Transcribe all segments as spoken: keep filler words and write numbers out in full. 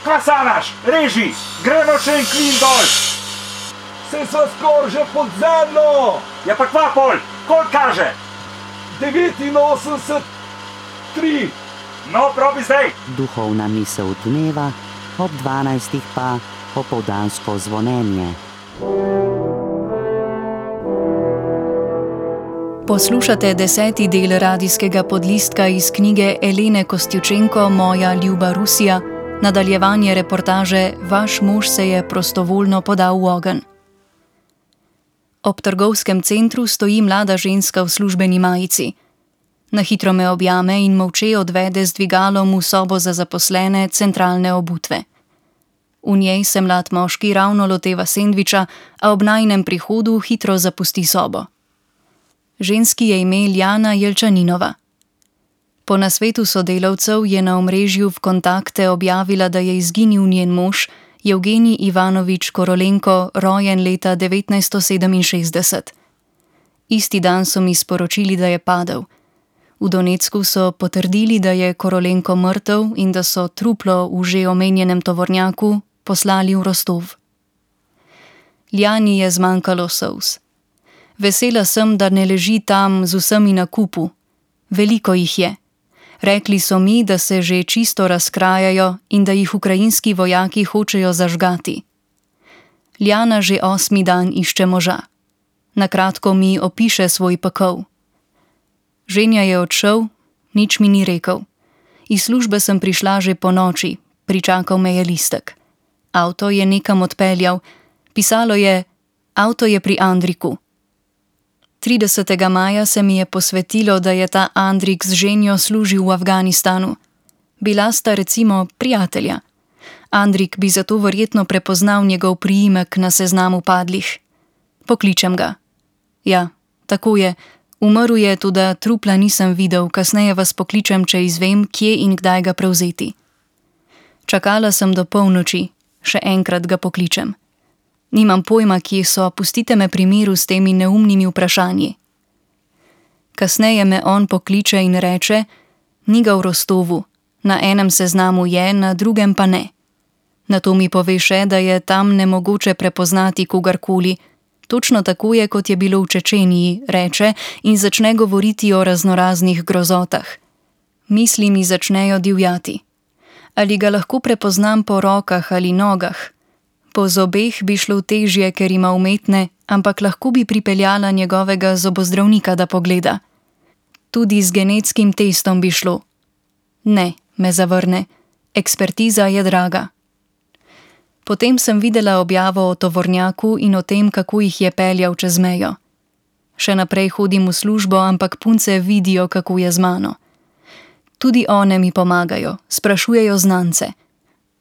Kaj sanaš? Reži, gremo še en klin dol. Se sva skor že pod zemljo. Ja pa kva pol, koliko kaže? devetinosemdeset tri. No, probi zdaj. Duhovna misel dneva, ob dvanajstih pa popoldansko zvonjenje. Poslušate deseti del radijskega podlistka iz knjige Elene Kostjučenko Moja ljuba Rusija, nadaljevanje reportaže Vaš mož se je prostovoljno podal v ogenj. Ob trgovskem centru stoji mlada ženska v službeni majici. Na hitro me objame in molče odvede z dvigalom v sobo za zaposlene centralne obutve. V njej se mlad moški ravno loteva sendviča, a ob najinem prihodu hitro zapusti sobo. Ženski je ime Ljana Jelčaninova. Po nasvetu sodelavcev je na omrežju v kontakte objavila, da je izginil njen mož, Evgenij Ivanovič Korolenko, rojen leta devetnajststo sedeminšestdeset. Isti dan so mi sporočili, da je padel. V Donecku so potrdili, da je Korolenko mrtev in da so truplo v že omenjenem tovornjaku poslali v Rostov. Ljani je zmanjkalo solz. Vesela sem, da ne leži tam z vsemi na kupu. Veliko jih je. Rekli so mi, da se že čisto razkrajajo in da jih ukrajinski vojaki hočejo zažgati. Ljana že osmi dan išče moža. Nakratko mi opiše svoj pekel. Ženja je odšel, nič mi ni rekel. Iz službe sem prišla že po noči, pričakal me je listek. Avto je nekam odpeljal, pisalo je: avto je pri Andriku. tridesetega maja se mi je posvetilo, da je ta Andrik z ženjo služil v Afganistanu. Bila sta recimo prijatelja. Andrik bi zato verjetno prepoznal njegov priimek na seznamu padlih. Pokličem ga. Ja, tako je, umrl je, toda trupla nisem videl, kasneje vas pokličem, če izvem, kje in kdaj ga prevzeti. Čakala sem do polnoči, še enkrat ga pokličem. Nimam pojma, kje so, pustite me pri miru s temi neumnimi vprašanji. Kasneje me on pokliče in reče: ni ga v Rostovu, na enem seznamu je, na drugem pa ne. Nato mi pove še, da je tam nemogoče prepoznati kogarkoli. Točno tako je, kot je bilo v Čečeniji, reče in začne govoriti o raznoraznih grozotah. Misli mi začnejo divjati. Ali ga lahko prepoznam po rokah ali nogah? Po zobeh bi šlo težje, ker ima umetne, ampak lahko bi pripeljala njegovega zobozdravnika, da pogleda. Tudi z genetskim testom bi šlo. Ne, me zavrne, ekspertiza je draga. Potem sem videla objavo o tovornjaku in o tem, kako jih je peljal čez mejo. Še naprej hodim v službo, ampak punce vidijo, kako je z mano. Tudi one mi pomagajo, sprašujejo znance.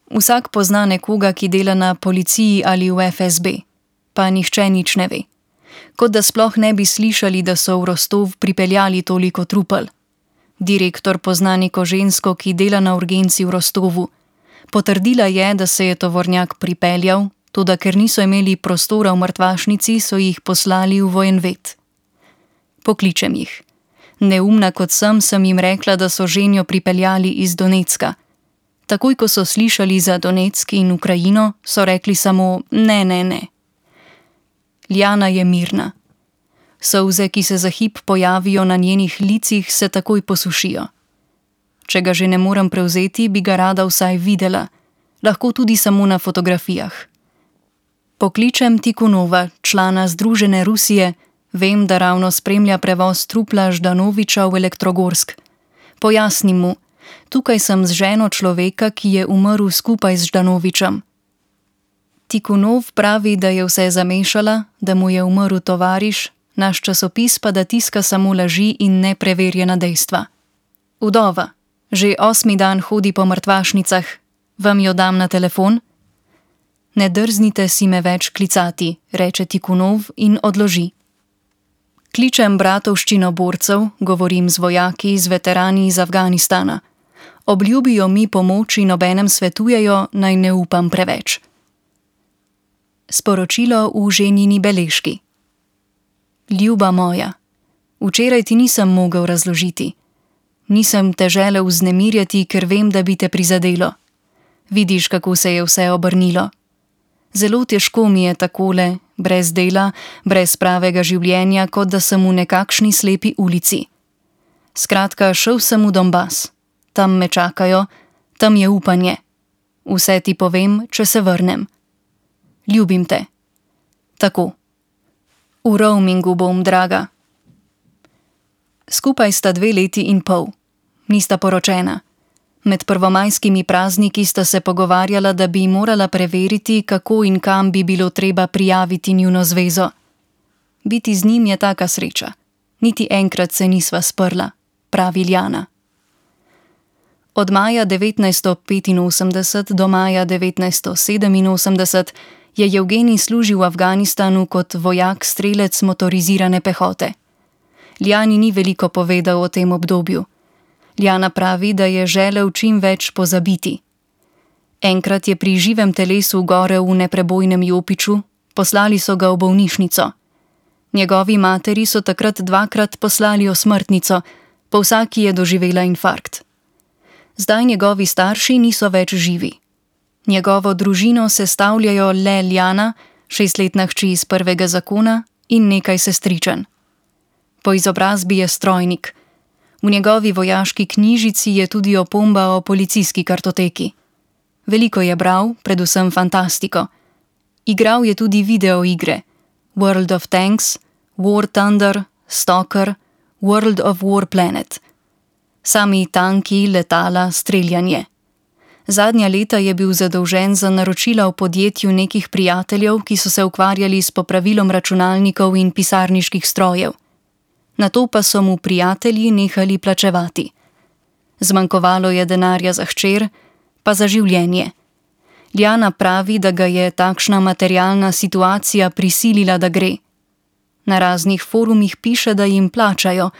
Vsak pozna nekoga, ki dela na policiji ali v F S B, pa nihče nič ne ve. Kot da sploh ne bi slišali, da so v Rostov pripeljali toliko trupel. Direktor pozna neko žensko, ki dela na urgenci v Rostovu. Potrdila je, da se je tovornjak pripeljal, toda ker niso imeli prostora v mrtvašnici, so jih poslali v vojenvet. Pokličem jih. Neumna kot sem, sem jim rekla, da so ženjo pripeljali iz Donecka. Takoj, ko so slišali za Donetsk in Ukrajino, so rekli samo ne, ne, ne. Ljana je mirna. Solze, ki se za hip pojavijo na njenih licih, se takoj posušijo. Če ga že ne morem prevzeti, bi ga rada vsaj videla, lahko tudi samo na fotografijah. Pokličem Tikhonova, člana Združene Rusije, vem, da ravno spremlja prevoz trupla Ždanoviča v Elektrogorsk. Pojasnim mu: tukaj sem z ženo človeka, ki je umrl skupaj z Ždanovičem. Tikhonov pravi, da je vse zamešala, da mu je umrl tovariš, naš časopis pa da tiska samo laži in nepreverjena dejstva. Vdova, že osmi dan hodi po mrtvašnicah, vam jo dam na telefon? Ne drznite si me več klicati, reče Tikhonov in odloži. Kličem bratovščino borcev, govorim z vojaki, z veterani iz Afganistana. Obljubijo mi pomoč in obenem svetujejo, naj ne upam preveč. Sporočilo v ženini beležki. Ljuba moja, včeraj ti nisem mogel razložiti. Nisem te želel vznemirjati, ker vem, da bi te prizadelo. Vidiš, kako se je vse obrnilo. Zelo težko mi je takole, brez dela, brez pravega življenja, kot da sem v nekakšni slepi ulici. Skratka, šel sem v Donbas. Tam me čakajo, tam je upanje. Vse ti povem, če se vrnem. Ljubim te. Tako. V roamingu bom, draga. Skupaj sta dve leti in pol. Nista poročena. Med prvomajskimi prazniki sta se pogovarjala, da bi morala preveriti, kako in kam bi bilo treba prijaviti njuno zvezo. Biti z njim je taka sreča. Niti enkrat se nisva sprla, pravi Ljana. Od maja devetnajststo petinosemdeset do maja devetnajststo sedeminosemdeset je Jevgenij služil v Afganistanu kot vojak-strelec motorizirane pehote. Ljani ni veliko povedal o tem obdobju. Ljana pravi, da je želel čim več pozabiti. Enkrat je pri živem telesu gorel v neprebojnem jopiču, poslali so ga v bolnišnico. Njegovi materi so takrat dvakrat poslali osmrtnico, po vsaki je doživela infarkt. Zdaj njegovi starši niso več živi. Njegovo družino sestavljajo le Ljana, šestletna hči iz prvega zakona in nekaj sestričen. Po izobrazbi je strojnik. V njegovi vojaški knjižici je tudi opomba o policijski kartoteki. Veliko je bral, predvsem fantastiko. Igral je tudi videoigre: World of Tanks, War Thunder, Stalker, World of Warplanet. Sami tanki, letala, streljanje. Zadnja leta je bil zadolžen za naročila v podjetju nekih prijateljev, ki so se ukvarjali s popravilom računalnikov in pisarniških strojev. Nato pa so mu prijatelji nehali plačevati. Zmanjkovalo je denarja za hčer, pa za življenje. Ljana pravi, da ga je takšna materialna situacija prisilila, da gre. Na raznih forumih piše, da jim plačajo,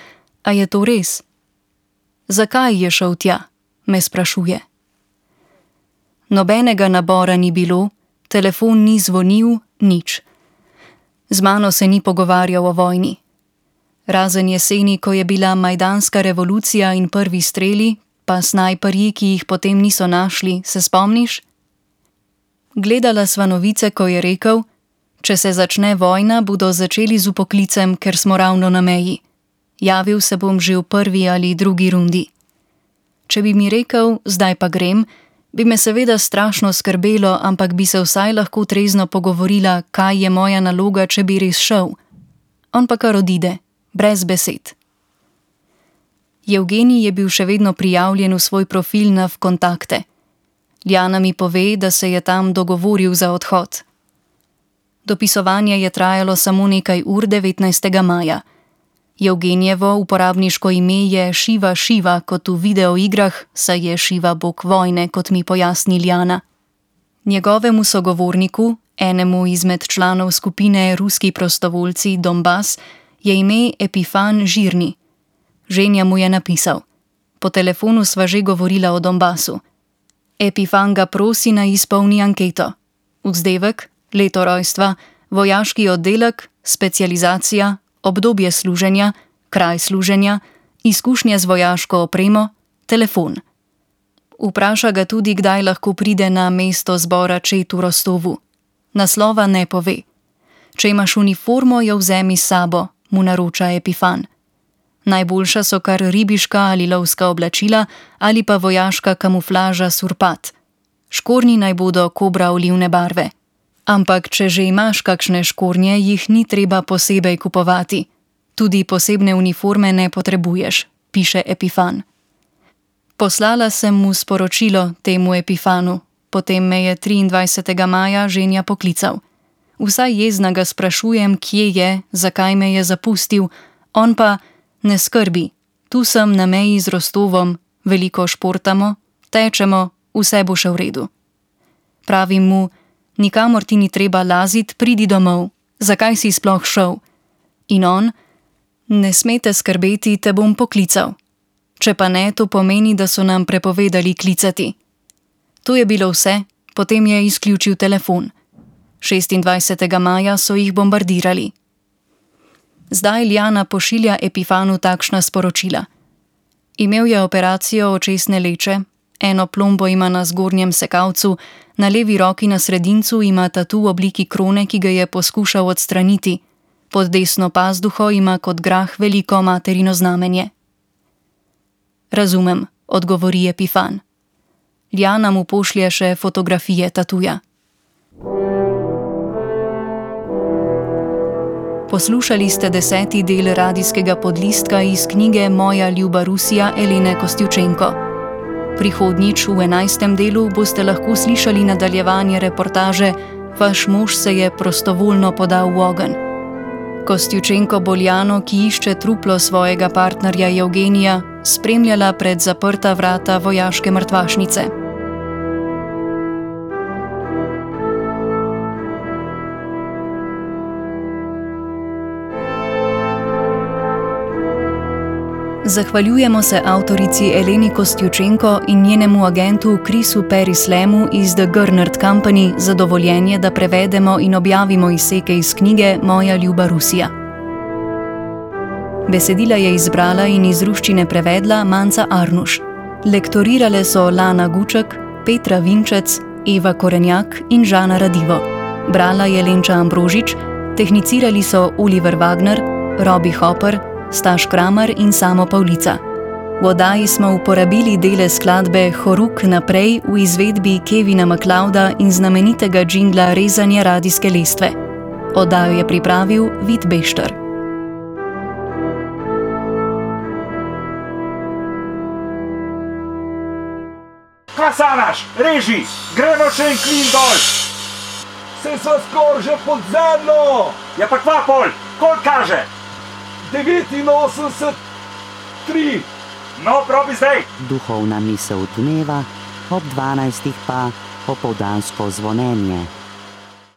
a je to res? Zakaj je šel tja, me sprašuje. Nobenega nabora ni bilo, telefon ni zvonil, nič. Z mano se ni pogovarjal o vojni. Razen jeseni, ko je bila majdanska revolucija in prvi streli, pa snajperji, ki jih potem niso našli, se spomniš? Gledala sva novice, ko je rekel: če se začne vojna, bodo začeli z upoklicem, ker smo ravno na meji. Javil se bom že v prvi ali drugi rundi. Če bi mi rekel, zdaj pa grem, bi me seveda strašno skrbelo, ampak bi se vsaj lahko trezno pogovorila, kaj je moja naloga, če bi res šel. On pa kar odide, brez besed. Jevgenij je bil še vedno prijavljen v svoj profil na Vkontakte. Ljana mi pove, da se je tam dogovoril za odhod. Dopisovanje je trajalo samo nekaj ur devetnajstega maja. Jevgenijevo uporabniško ime je Šiva Šiva, kot v videoigrah, saj je Šiva bog vojne, kot mi pojasni Ljana. Njegovemu sogovorniku, enemu izmed članov skupine Ruski prostovoljci Donbas, je ime Epifan Žirni. Ženja mu je napisal: po telefonu sva že govorila o Donbasu. Epifan ga prosi, naj izpolni anketo. Vzdevek, leto rojstva, vojaški oddelek, specializacija, obdobje služenja, kraj služenja, izkušnje z vojaško opremo, telefon. Vpraša ga tudi, kdaj lahko pride na mesto zbora Čet v Rostovu. Naslova ne pove. Če imaš uniformo, jo vzemi s sabo, mu naroča Epifan. Najboljša so kar ribiška ali lovska oblačila ali pa vojaška kamuflaža surpat. Škornji naj bodo kobra olivne barve. Ampak če že imaš kakšne škornje, jih ni treba posebej kupovati. Tudi posebne uniforme ne potrebuješ, piše Epifan. Poslala sem mu sporočilo temu Epifanu, potem me je triindvajsetega maja ženja poklical. Vsaj jezna ga sprašujem, kje je, zakaj me je zapustil, on pa: ne skrbi, tu sem na meji z Rostovom, veliko športamo, tečemo, vse bo še v redu. Pravim mu: nikamor ti ni treba lazit, pridi domov, zakaj si sploh šel? In on: ne smete skrbeti, te bom poklical. Če pa ne, to pomeni, da so nam prepovedali klicati. To je bilo vse, potem je izključil telefon. šestindvajsetega maja so jih bombardirali. Zdaj Ljana pošilja Epifanu takšna sporočila. Imel je operacijo očesne leče, eno plombo ima na zgornjem sekalcu, na levi roki na sredincu ima tatu v obliki krone, ki ga je poskušal odstraniti. Pod desno pazduho ima kot grah veliko materino znamenje. Razumem, odgovori Epifan. Ljana mu pošlje še fotografije tatuja. Poslušali ste deseti del radijskega podlistka iz knjige Moja ljuba Rusija Elene Kostjučenko. Prihodnjič v enajstem delu boste lahko slišali nadaljevanje reportaže Vaš mož se je prostovoljno podal v ogenj. Kostjučenko bo Ljano, ki išče truplo svojega partnerja Evgenija, spremljala pred zaprta vrata vojaške mrtvašnice. Zahvaljujemo se avtorici Eleni Kostjučenko in njenemu agentu Chrisu Perislemu iz The Gernert Company za dovoljenje, da prevedemo in objavimo izseke iz knjige Moja ljuba Rusija. Besedila je izbrala in iz ruščine prevedla Manca Arnuš. Lektorirale so Lana Guček, Petra Vinčec, Eva Korenjak in Žana Radivo. Brala je Lenča Ambrožič, tehnicirali so Oliver Wagner, Robi Hopper, Staš Kramer in Samo Pavlica. V oddaji smo uporabili dele skladbe Horuk naprej v izvedbi Kevina MacLeoda in znamenitega džingla Rezanje radijske lestve. Oddajo je pripravil Vid Bešter. Kasanaš, reži, gremo še en klin dol. Se sva skoraj že pod zemljo! Ja pa kva pol, koliko kaže? devetinosemdeset tri. No, probi zdaj. Duhovna misel dneva, ob dvanajstih pa opoldansko zvonjenje.